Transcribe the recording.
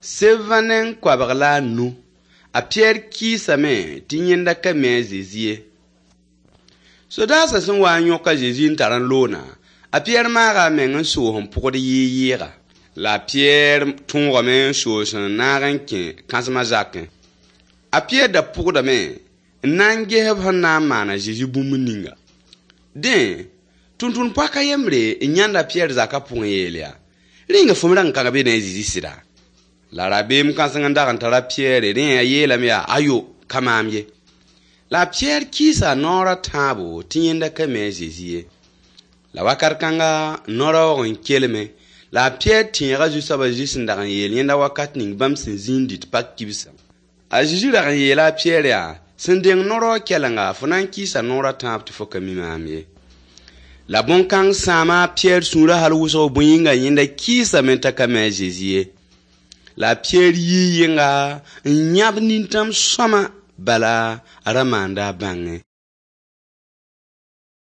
75. A Pɩyɛɛr kɩɩsame tɩ yẽnda ka mi a Zezi ye. Sodaasã sẽn wa n yõk a Zezi n tar n loona, a Pɩyɛɛr maaga a meng n soos n pʋgd yɩɩg-yɩɩga. La a Pɩyɛɛr tõogame n soos n naag n kẽ kãsmã zakẽ. A Pɩyɛɛr da pʋgdame n na n ges b sẽn na n maan a Zezi bũmb ninga. Dẽ, tʋmtʋmd-poak a yembre n yãnd a Pɩyɛɛr zakã pʋgẽ yeel yaa: Rẽnga fo me rag n kãnga be ne a Zezi sɩda? La rabeem kãseng n dag n tar a Pɩyɛɛre, rẽ a yeelame yaa: Ayo, ka maam ye. La a Pɩyɛɛr kɩɩsa a naoor a tãabo tɩ yẽnda ka mi a Zezi ye. La wakat kãnga no-raoog n kelme, la a Pɩyɛɛr tẽega Zu-soab a Zezi sẽn dag n yeel yẽnda wakat ning bãmb sẽn zĩ n dɩt pak kibsã. A Zezi rag n yeela a Pɩyɛɛr yaa: Sẽn deng no-raoog kɛlenga, fo na n kɩɩsa noor a tãab tɩ fo ka mi maam ye. La bõn-kãng sãama a Pɩyɛɛr sũurã hal wʋsgo bõe yĩnga yẽnda kɩɩsame t'a ka mi a Zezi ye. La a Pɩyɛɛr yii yɩnga n yãb nintãm sõama, bala a ra maanda a bãngẽ.